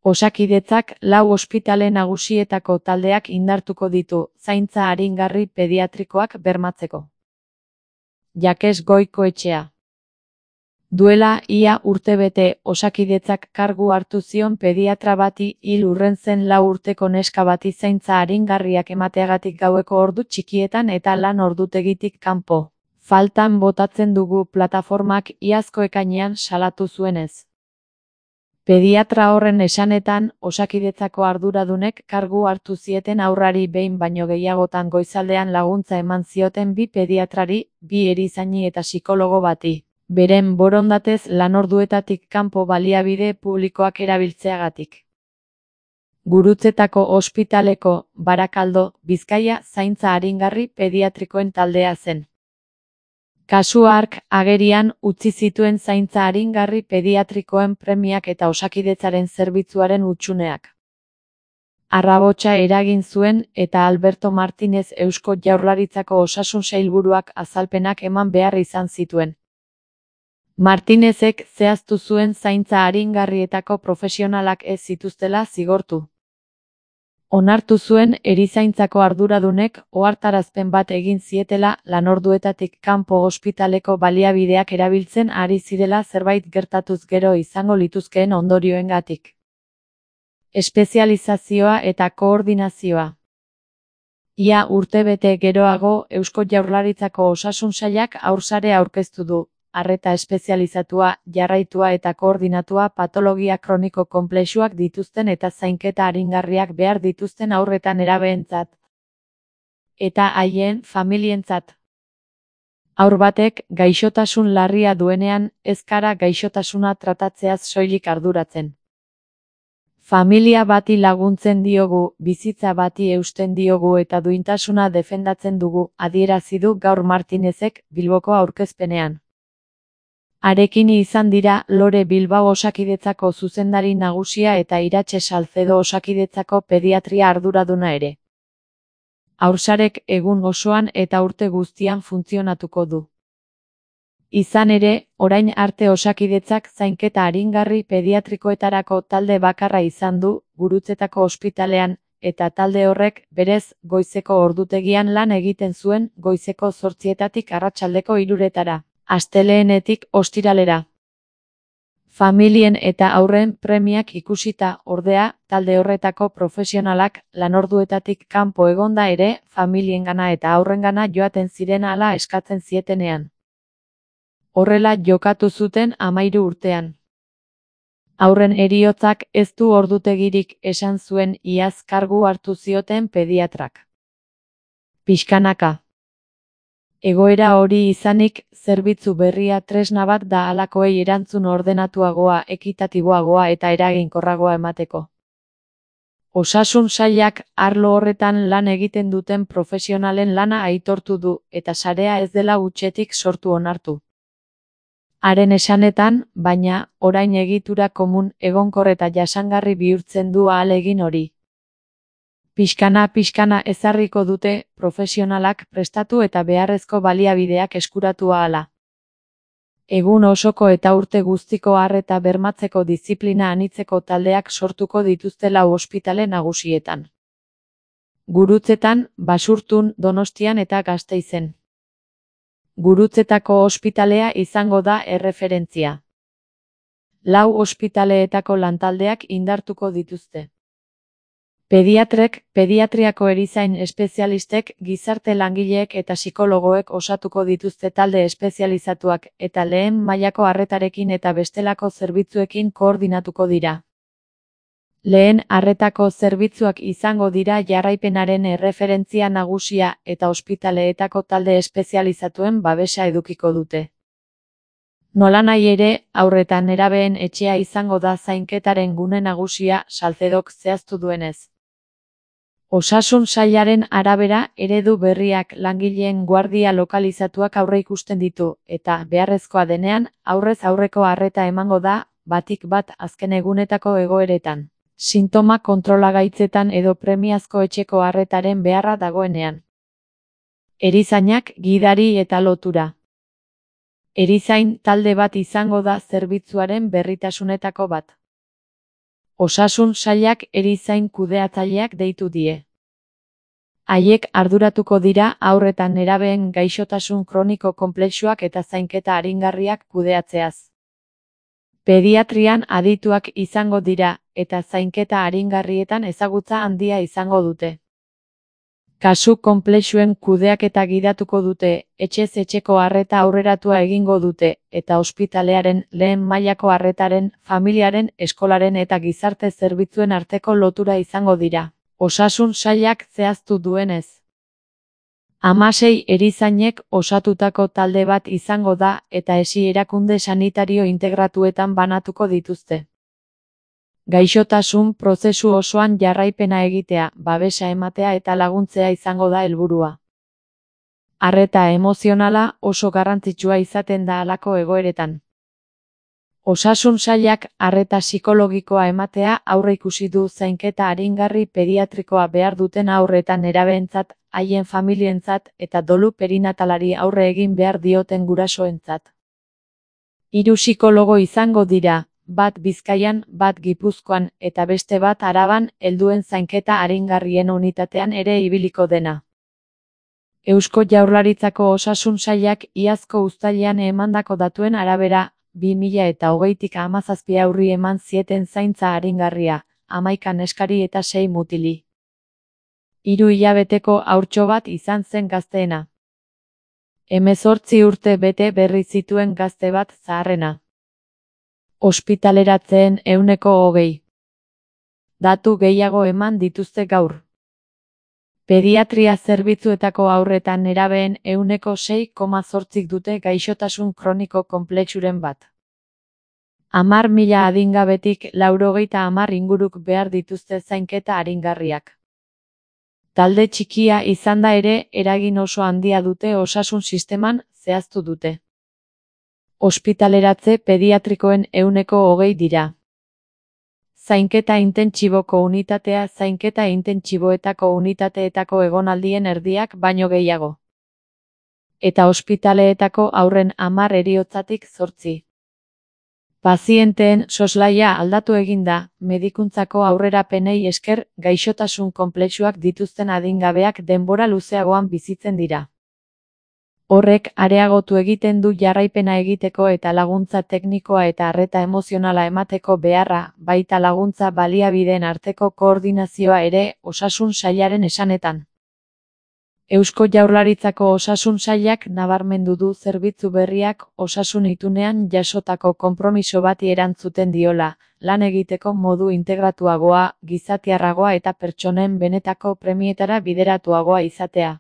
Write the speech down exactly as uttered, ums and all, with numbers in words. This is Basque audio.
Osakidetzak lau ospitale nagusietako taldeak indartuko ditu, zaintza aringarri pediatrikoak bermatzeko. Jakes Goikoetxea. Duela ia urtebete, Osakidetzak kargu hartu zion pediatra bati hil urren zen lau urteko neska bati zaintza aringarriak emateagatik gaueko ordu txikietan eta lan ordutegitik kanpo. Faltan botatzen dugu plataformak iazko ekainean salatu zuenez. Pediatra horren esanetan, Osakidetzako arduradunek kargu hartu zieten haurrari behin baino gehiagotan goizaldean laguntza eman zioten bi pediatrari, bi erizaini eta psikologo bati, beren borondatez lanorduetatik kanpo baliabide publikoak erabiltzeagatik. Gurutzetako ospitaleko, Barakaldo, Bizkaia zaintza aringarri pediatrikoen taldea zen. Kasu hark agerian utzi zituen zaintza aringarri pediatrikoen premiak eta Osakidetzaren zerbitzuaren hutsuneak. Arrabotsa eragin zuen eta Alberto Martinez Eusko Jaurlaritzako Osasun Sailburuak azalpenak eman behar izan zituen. Martinezek zehaztu zuen zaintza aringarrietako profesionalak ez zituztela zigortu. Onartu zuen erizaintzako arduradunek ohartarazpen bat egin zietela lanorduetatik kanpo ospitaleko baliabideak erabiltzen ari zirela zerbait gertatuz gero izango lituzkeen ondorioengatik. Espezializazioa eta koordinazioa. Ia urtebete geroago Eusko Jaurlaritzako Osasun Sailak haursare aurkeztu du. Arreta espezializatua, jarraitua eta koordinatua patologia kroniko konplexuak dituzten eta zainketa aringarriak behar dituzten haurretan nerabeentzat. Eta haien familientzat. Haur batek gaixotasun larria duenean, ez gara gaixotasuna tratatzeaz soilik arduratzen. Familia bati laguntzen diogu, bizitza bati eusten diogu eta duintasuna defendatzen dugu, adierazi du gaur Martinezek Bilboko aurkezpenean. Harekin izan dira Lore Bilbao Osakidetzako zuzendari nagusia eta Iratxe Salcedo Osakidetzako pediatria arduraduna ere. Haursarek egun osoan eta urte guztian funtzionatuko du. Izan ere, orain arte Osakidetzak zainketa aringarri pediatrikoetarako talde bakarra izan du, Gurutzetako ospitalean, eta talde horrek, berez, goizeko ordutegian lan egiten zuen, goizeko zortzietatik arratsaldeko hiruretara. Asteleenetik ostiralera. Familien eta haurren premiak ikusita, ordea, talde horretako profesionalak lanorduetatik kanpo egonda ere, familiengana eta haurrengana joaten ziren hala eskatzen zietenean. Horrela jokatu zuten hamahiru urtean. Haurren heriotzak ez du ordutegirik esan zuen iaz kargu hartu zioten pediatrak. Pixkanaka. Egoera hori izanik, zerbitzu berria tresna bat da halakoei erantzun ordenatuagoa, ekitatiboagoa eta eraginkorragoa emateko. Osasun Sailak arlo horretan lan egiten duten profesionalen lana aitortu du, eta sarea ez dela hutsetik sortu onartu. Haren esanetan, baina, orain egitura komun, egonkor eta jasangarri bihurtzen du ahalegin hori. Pixkana-pixkana ezarriko dute, profesionalak prestatu eta beharrezko baliabideak eskuratu ahala. Egun osoko eta urte guztiko arreta bermatzeko diziplina anitzeko taldeak sortuko dituzte lau ospitale nagusietan. Gurutzetan, Basurtun, Donostian eta Gasteizen. Gurutzetako ospitalea izango da erreferentzia. Lau ospitaleetako lantaldeak indartuko dituzte. Pediatrek, pediatriako erizain espezialistek, gizarte langileek eta psikologoek osatuko dituzte talde espezializatuak eta lehen mailako arretarekin eta bestelako zerbitzuekin koordinatuko dira. Lehen arretako zerbitzuak izango dira jarraipenaren erreferentzia nagusia eta ospitaleetako talde espezializatuen babesa edukiko dute. Nolanahi ere, haur eta nerabeen etxea izango da zainketaren gune nagusia, Salcedok zehaztu duenez. Osasun Sailaren arabera, eredu berriak langileen guardia lokalizatuak aurreikusten ditu, eta, beharrezkoa denean, aurrez aurreko arreta emango da, batik bat azken egunetako egoeretan. Sintoma kontrolagaitzetan edo premiazko etxeko arretaren beharra dagoenean. Erizainak, gidari eta lotura. Erizain talde bat izango da zerbitzuaren berritasunetako bat. Osasun sailak erizain kudeatzaileak deitu die. Haiek arduratuko dira haur eta nerabeen gaixotasun kroniko konplexuak eta zainketa aringarriak kudeatzeaz. Pediatrian adituak izango dira, eta zainketa aringarrietan ezagutza handia izango dute. Kasu konplexuen kudeaketa gidatuko dute, etxez etxeko arreta aurreratua egingo dute, eta ospitalearen, lehen mailako arretaren, familiaren, eskolaren eta gizarte zerbitzuen arteko lotura izango dira. Osasun sailak zehaztu duenez. Hamasei erizainek osatutako talde bat izango da eta esi erakunde sanitario integratuetan banatuko dituzte. Gaixotasun prozesu osoan jarraipena egitea, babesa ematea eta laguntzea izango da helburua. Arreta emozionala oso garrantzitsua izaten da halako egoeretan. Osasun sailak arreta psikologikoa ematea aurreikusi du zainketa aringarri pediatrikoa behar duten haur eta nerabeentzat, haien familientzat eta dolu perinatalari aurre egin behar dioten gurasoentzat. Hiru psikologo izango dira, bat Bizkaian, bat Gipuzkoan eta beste bat Araban, helduen zainketa aringarrien unitatean ere ibiliko dena. Eusko Jaurlaritzako Osasun Sailak iazko uztailean emandako datuen arabera, bi mila eta hogeitik hamazazpi haurri eman zieten zaintza aringarria, hamaika neskari eta sei mutili. Hiru hilabeteko haurtxo bat izan zen gazteena. Hemezortzi urte bete berri zituen gazte bat zaharrena. Ospitaleratzeen ehuneko hogei. Datu gehiago eman dituzte gaur. Pediatria zerbitzuetako haurretan nerabeen ehuneko sei koma zortzik dute gaixotasun kroniko konplexuren bat. Hamar mila adingabetik laurogeita hamar inguruk behar dituzte zainketa aringarriak. Talde txikia izanda ere eragin oso handia dute osasun sisteman, zehaztu dute. Ospitaleratze pediatrikoen ehuneko hogei dira. Zainketa intentsiboko unitatea zainketa intentsiboetako unitateetako egonaldien erdiak baino gehiago. Eta ospitaleetako haurren hamar heriotzatik zortzi. Pazienteen soslaia aldatu egin da, medikuntzako aurrerapenei esker gaixotasun konplexuak dituzten adingabeak denbora luzeagoan bizitzen dira. Horrek areagotu egiten du jarraipena egiteko eta laguntza teknikoa eta arreta emozionala emateko beharra, baita laguntza baliabideen arteko koordinazioa ere, osasun sailaren esanetan. Eusko Jaurlaritzako Osasun Sailak nabarmendu du zerbitzu berriak osasun itunean jasotako konpromiso bati erantzuten diola, lan egiteko modu integratuagoa, gizatiarragoa eta pertsonen benetako premietara bideratuagoa izatea.